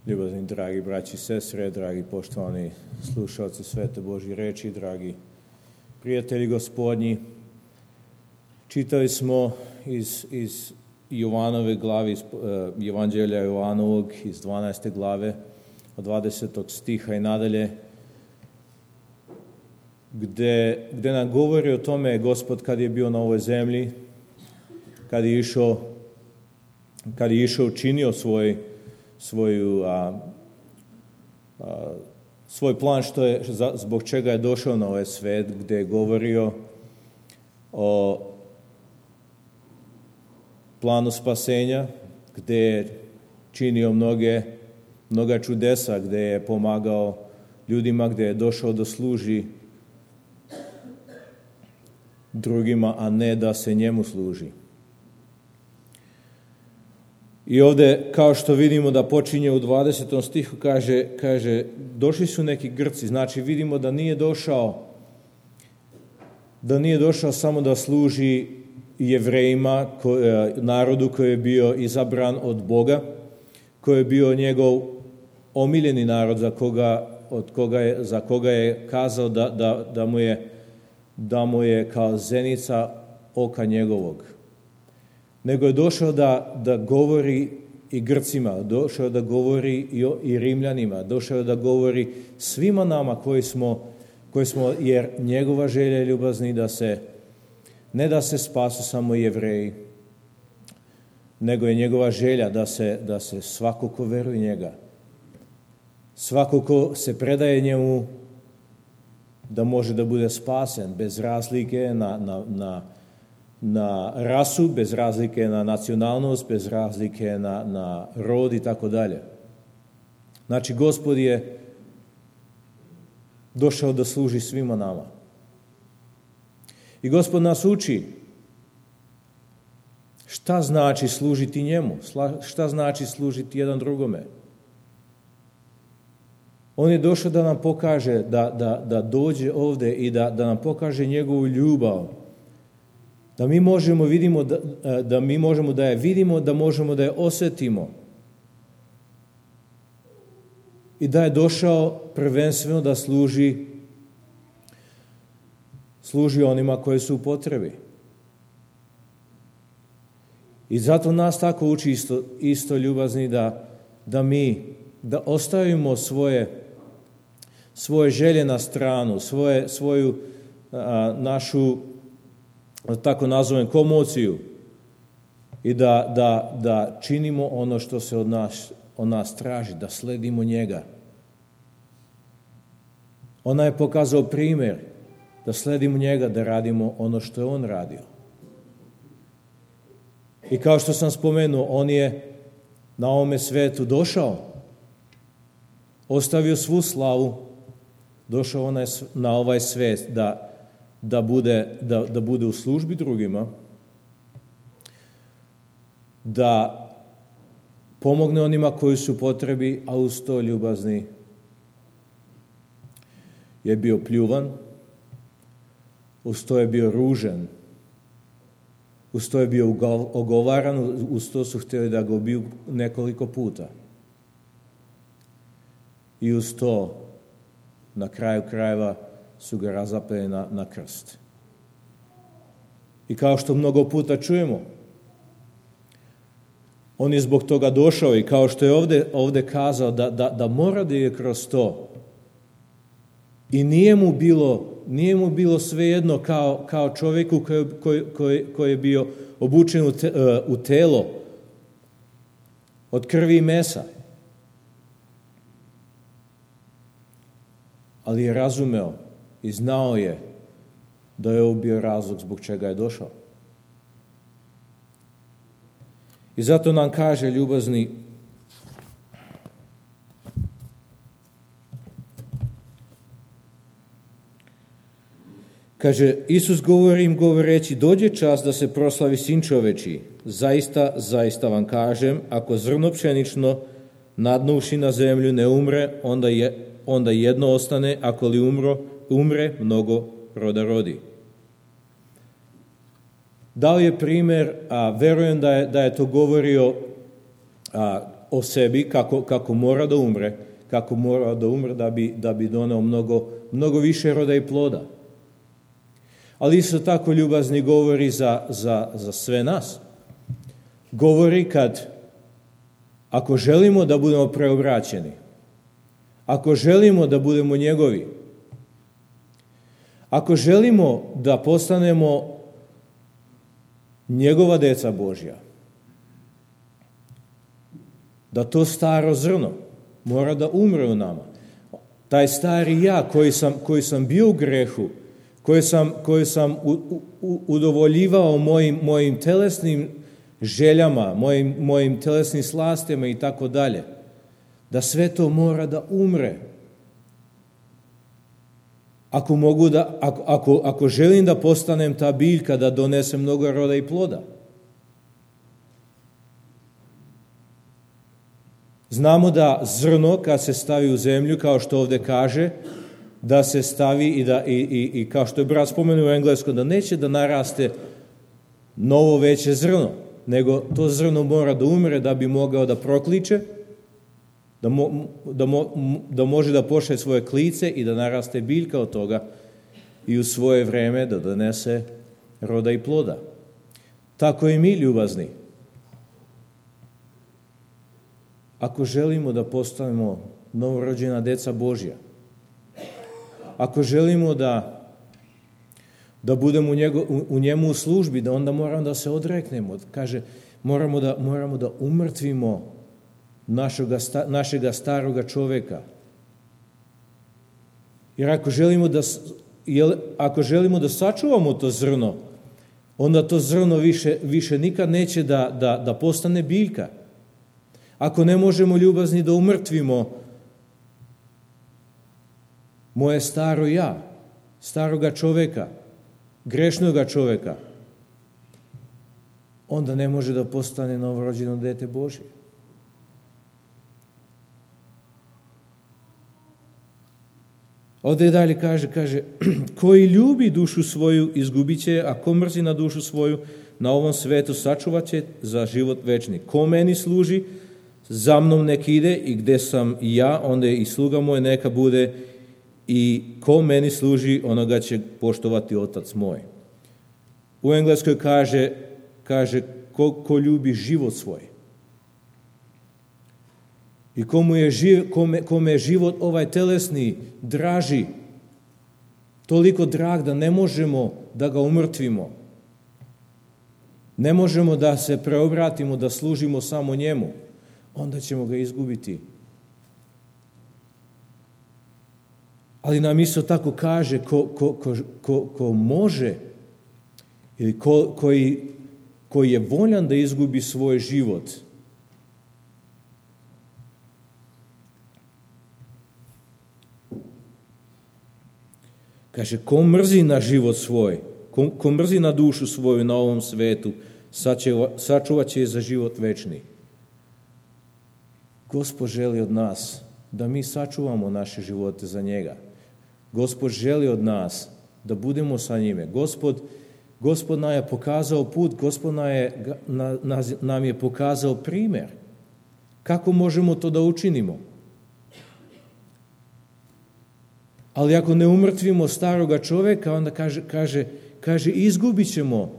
Ljubazni, dragi braći i sestre, dragi poštovani slušalci Svete Božje reči, dragi prijatelji Gospodnji, čitali smo iz Jovanove glave, iz Evanđelja Jovanovog, iz 12. glave, od 20. stiha i nadalje, gde nam govori o tome Gospod kad je bio na ovoj zemlji, kad je išao učinio svoj plan zbog čega je došao na ovaj svet, gdje je govorio o planu spasenja, gdje je činio mnoga čudesa, gdje je pomagao ljudima, gdje je došao da služi drugima, a ne da se njemu služi. I ovdje, kao što vidimo da počinje u 20. stihu, kaže, došli su neki Grci, znači vidimo da nije došao samo da služi Jevrejima, narodu koji je bio izabran od Boga, koji je bio njegov omiljeni narod za koga je kazao da mu je kao zenica oka njegovog. Nego je došao da govori i Grcima, došao da govori i Rimljanima, došao da govori svima nama koji smo, jer njegova želja je ljubazni ne da se spasu samo Jevreji, nego je njegova želja da se svako ko veruje njega, svako ko se predaje njemu, da može da bude spasen bez razlike na rasu, bez razlike na nacionalnost, bez razlike na rod i tako dalje. Znači, Gospod je došao da služi svima nama. I Gospod nas uči šta znači služiti njemu, šta znači služiti jedan drugome. On je došao da nam pokaže, da dođe ovdje i da nam pokaže njegovu ljubav, da mi možemo da je vidimo, da možemo da je osjetimo. I da je došao prvenstveno da služi onima koji su u potrebi. I zato nas tako uči isto ljubazni da ostavimo svoje želje na stranu, svoju našu, tako nazovem, komociju i da činimo ono što se od nas traži, da sledimo njega. Ona je pokazao primjer da sledimo njega, da radimo ono što je on radio. I kao što sam spomenuo, on je na ovome svetu došao, ostavio svu slavu, došao na ovaj svet da bude u službi drugima, da pomogne onima koji su potrebi, a uz to ljubazni je bio pljuvan, uz to je bio ružan, uz to je bio ogovaran, uz to su htjeli da ga ubiju nekoliko puta. I uz to, na kraju krajeva, su ga razapeli na krst. I kao što mnogo puta čujemo, on je zbog toga došao i kao što je ovdje kazao da mora da je kroz to. I nije mu bilo svejedno kao čovjeku koji je bio obučen u telo od krvi i mesa. Ali je razumeo i znao je da je ovo bio razlog zbog čega je došao. I zato nam kaže ljubazni, kaže, Isus govori im govoreći, dođe čas da se proslavi Sin čovečiji. Zaista, zaista vam kažem, ako zrno pšenično nadnuši na zemlju ne umre, onda jedno ostane, ako li umre, mnogo roda rodi. Dao je primjer, a verujem da je to govorio o sebi kako mora da umre, da bi doneo mnogo više roda i ploda. Ali isto tako ljubazni govori za sve nas. Govori ako želimo da budemo preobraćeni, ako želimo da budemo njegovi, ako želimo da postanemo njegova deca Božja, da to staro zrno mora da umre u nama. Taj stari ja koji sam bio u grehu, koji sam udovoljivao mojim telesnim željama, mojim telesnim slastima i tako dalje, da sve to mora da umre. Ako želim da postanem ta biljka, da donesem mnogo roda i ploda. Znamo da zrno kad se stavi u zemlju, kao što ovdje kaže, da se stavi i kao što je brat spomenuo u engleskom, da neće da naraste novo veće zrno, nego to zrno mora da umre da bi mogao da prokliče, da može da pošalje svoje klice i da naraste biljka od toga i u svoje vreme da donese roda i ploda. Tako i mi, ljubazni. Ako želimo da postanemo novorođena deca Božja, ako želimo da budemo u njemu u službi, da onda moramo da se odreknemo. Kaže, moramo da umrtvimo našega staroga čoveka. Jer ako želimo da sačuvamo to zrno, onda to zrno više nikad neće da postane biljka. Ako ne možemo, ljubazni, da umrtvimo moje staro ja, staroga čoveka, grešnoga čoveka, onda ne može da postane novorođeno dete Božje. Ovdje dalje kaže, koji ljubi dušu svoju izgubit će, a ko mrzi na dušu svoju na ovom svetu sačuvat će za život večni. Ko meni služi, za mnom nek ide, i gde sam ja, onda i sluga moj neka bude, i ko meni služi, onoga će poštovati Otac moj. U engleskoj kaže ko ljubi život svoj. I kome je život ovaj telesni draži, toliko drag da ne možemo da ga umrtvimo. Ne možemo da se preobratimo, da služimo samo njemu. Onda ćemo ga izgubiti. Ali nam isto tako kaže ko može ili koji je voljan da izgubi svoj život. Kaže, ko mrzi na život svoj, ko mrzi na dušu svoju na ovom svetu, sačuvat će je za život večni. Gospod želi od nas da mi sačuvamo naše živote za njega. Gospod želi od nas da budemo sa njime. Gospod nam je pokazao put, Gospod nam je pokazao primjer. Kako možemo to da učinimo? Ali ako ne umrtvimo staroga čoveka, onda kaže izgubit ćemo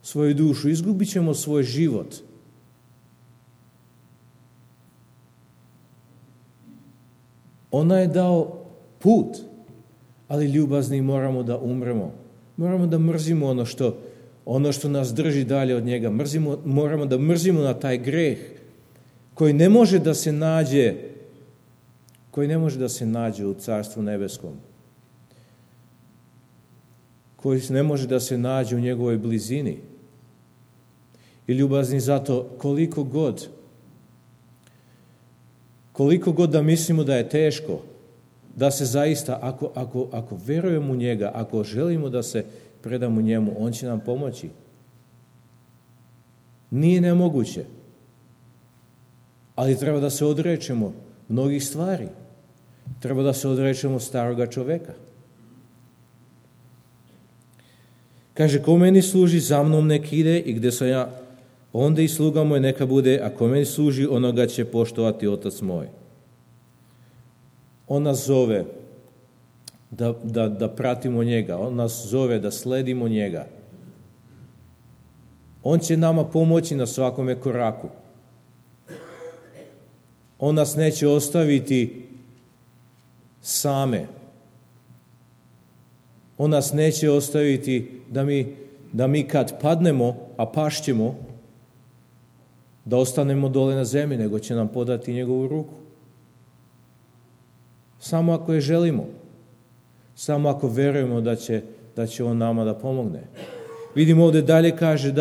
svoju dušu, izgubit ćemo svoj život. Ona je dao put, ali ljubazni moramo da umremo. Moramo da mrzimo ono što nas drži dalje od njega. Moramo da mrzimo na taj greh koji ne može da se nađe u Carstvu nebeskom. Koji ne može da se nađe u njegovoj blizini. I ljubazni, zato koliko god da mislimo da je teško, da se zaista, ako verujemo u njega, ako želimo da se predamo njemu, on će nam pomoći. Nije nemoguće. Ali treba da se odrečemo mnogih stvari. Treba da se odrečemo staroga čoveka. Kaže, ko meni služi, za mnom nek ide, i gde sam ja, onda i sluga moj neka bude, ako meni služi, onoga će poštovati Otac moj. On nas zove da pratimo njega, on nas zove da sledimo njega. On će nama pomoći na svakome koraku. On nas neće ostaviti same. On nas neće ostaviti da mi kad padnemo, a pašćemo, da ostanemo dole na zemlji, nego će nam podati njegovu ruku. Samo ako je želimo. Samo ako verujemo da će on nama da pomogne. Vidimo ovdje dalje kaže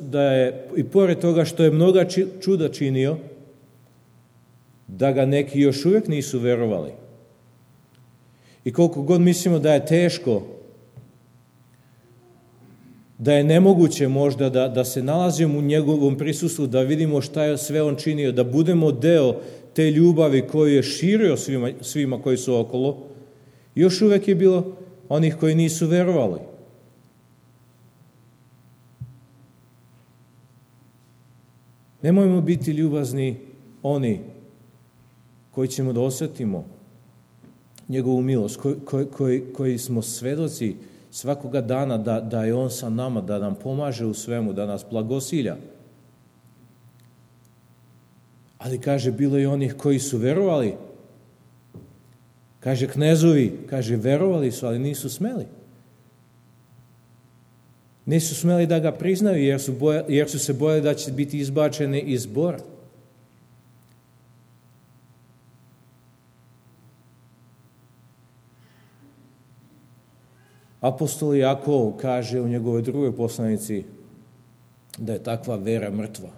da je i pored toga što je mnoga čuda činio, da ga neki još uvijek nisu verovali. I koliko god mislimo da je teško, da je nemoguće možda da se nalazimo u njegovom prisustvu, da vidimo šta je sve on činio, da budemo deo te ljubavi koju je širio svima koji su okolo, još uvijek je bilo onih koji nisu verovali. Nemojmo biti ljubazni oni koji ćemo da osjetimo njegovu milost, koji smo svedoci svakoga dana da je on sa nama, da nam pomaže u svemu, da nas blagosilja. Ali kaže, bilo je onih koji su verovali. Kaže, knezovi, verovali su, ali nisu smeli. Nisu smeli da ga priznaju, jer su se bojali da će biti izbačeni iz zbora. Apostol Jakov kaže u njegovoj drugoj poslanici da je takva vera mrtva.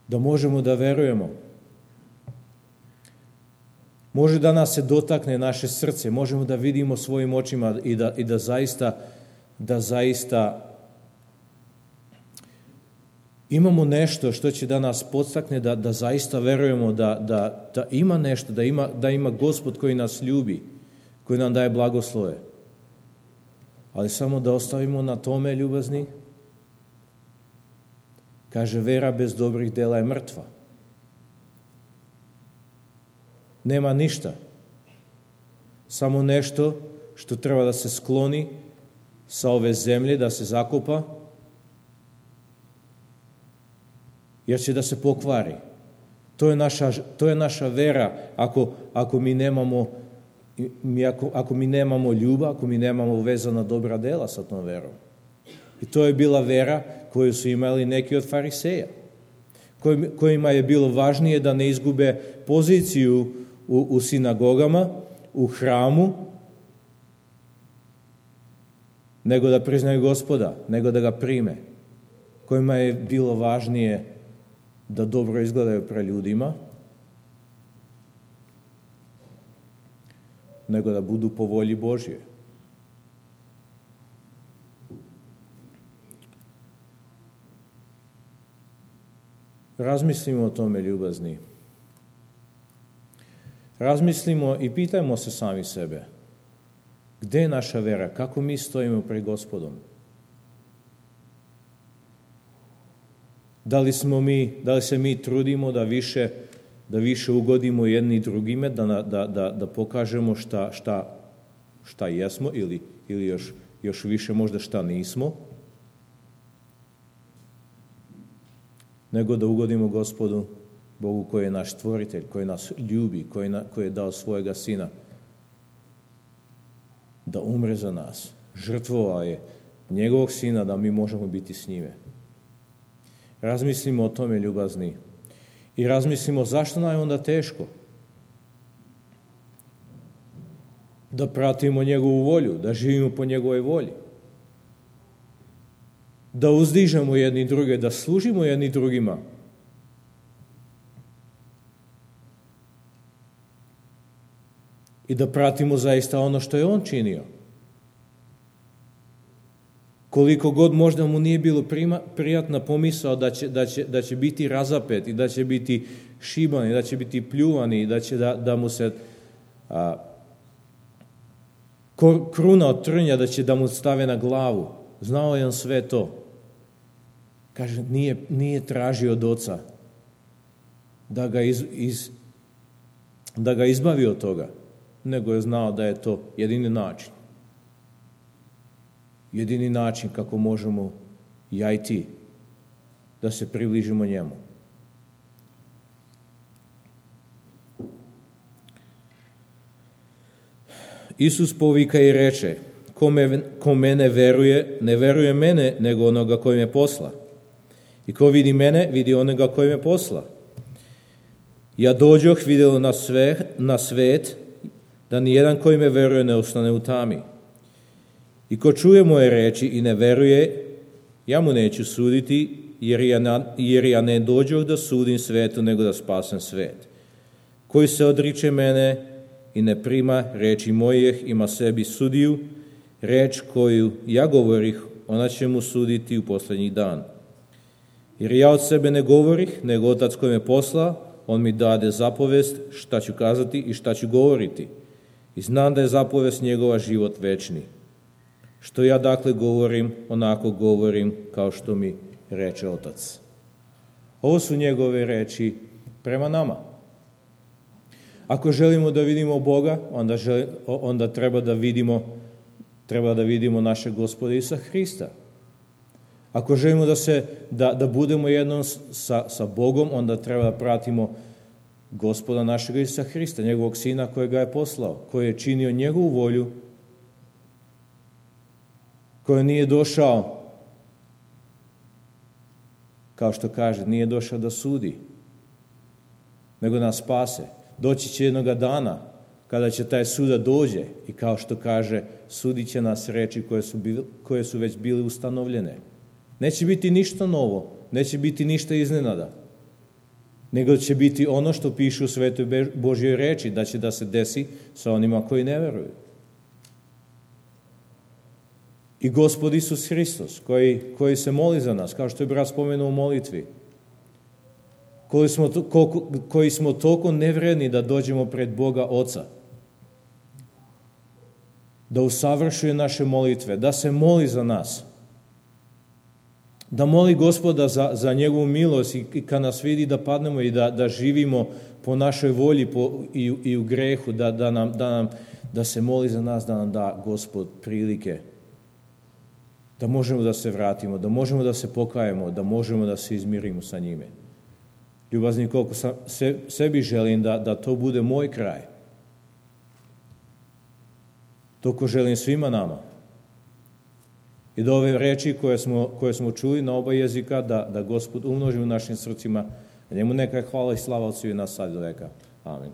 Da možemo da verujemo. Može da nas se dotakne naše srce, možemo da vidimo svojim očima i da zaista imamo nešto što će da nas podstakne da zaista verujemo da ima nešto, da ima Gospod koji nas ljubi, koji nam daje blagoslove. Ali samo da ostavimo na tome ljubazni. Kaže, vera bez dobrih dela je mrtva. Nema ništa. Samo nešto što treba da se skloni sa ove zemlje, da se zakopa, jer će da se pokvari. To je naša vera ako mi nemamo ljubav, ako mi nemamo vezana dobra dela sa tom verom. I to je bila vera koju su imali neki od fariseja, kojima je bilo važnije da ne izgube poziciju u sinagogama, u hramu, nego da priznaju Gospoda, nego da ga prime. Kojima je bilo važnije da dobro izgledaju pred ljudima, nego da budu po volji Božje. Razmislimo o tome, ljubazni. Razmislimo i pitajmo se sami sebe. Gde je naša vera? Kako mi stojimo pred Gospodom? Da li se mi trudimo da više ugodimo jedni drugime, da pokažemo šta jesmo ili još više možda šta nismo, nego da ugodimo Gospodu, Bogu koji je naš stvoritelj, koji nas ljubi, koji je dao svojega Sina da umre za nas. Žrtvovao je njegovog Sina da mi možemo biti s njime. Razmislimo o tome, ljubazni. I razmislimo zašto nam je onda teško da pratimo njegovu volju, da živimo po njegovoj volji, da uzdižemo jedni druge, da služimo jedni drugima. I da pratimo zaista ono što je on činio. Koliko god možda mu nije bilo prijatna pomisao da će biti razapet i da će biti šiban i da će biti pljuvan i da će da mu se kruna od trnja da će da mu stave na glavu. Znao je on sve to. Kaže, nije tražio od Oca da ga izbavi od toga, nego je znao da je to jedini način. Jedini način kako možemo ja i ti da se približimo njemu. Isus povika i reče, ko mene veruje, ne veruje mene, nego onoga koji me posla. I ko vidi mene, vidi onoga koji me posla. Ja dođoh vidjelo na svet, da nijedan koji me veruje ne ostane u tami. I ko čuje moje reči i ne veruje, ja mu neću suditi, jer ja ne dođoh da sudim svetu, nego da spasem svet. Koji se odriče mene i ne prima reči mojih, ima sebi sudiju, reč koju ja govorih, ona će mu suditi u posljednji dan. Jer ja od sebe ne govorih, nego Otac koji me posla, on mi dade zapovest šta ću kazati i šta ću govoriti. I znam da je zapovest njegova život večni. Što ja dakle govorim, onako govorim kao što mi reče Otac. Ovo su njegove reči prema nama. Ako želimo da vidimo Boga, onda treba da vidimo našeg Gospoda Isusa Hrista. Ako želimo da budemo jednom sa Bogom, onda treba da pratimo Gospoda našeg Isusa Hrista, njegovog Sina kojega je poslao, koji je činio njegovu volju, koji nije došao, kao što kaže, nije došao da sudi, nego nas spase. Doći će jednoga dana kada će taj suda dođe i kao što kaže, sudit će nas reči koje su već bile ustanovljene. Neće biti ništa novo, neće biti ništa iznenada, nego će biti ono što piše u Svetoj Božjoj reči, da će da se desi sa onima koji ne veruju. I Gospod Isus Hristos, koji se moli za nas, kao što je brat spomenuo u molitvi, koji smo toliko nevredni da dođemo pred Boga Oca, da usavršuje naše molitve, da se moli za nas, da moli Gospoda za njegovu milost i kad nas vidi da padnemo i da živimo po našoj volji i u grehu, da se moli za nas, da nam da Gospod prilike, da možemo da se vratimo, da možemo da se pokajemo, da možemo da se izmirimo sa njime. Ljubazni, koliko sebi želim da to bude moj kraj, toliko želim svima nama. I da ove reči koje smo čuli na oba jezika, da Gospod umnoži u našim srcima, a njemu neka je hvala i slava od svih nas sad do veka. Amen.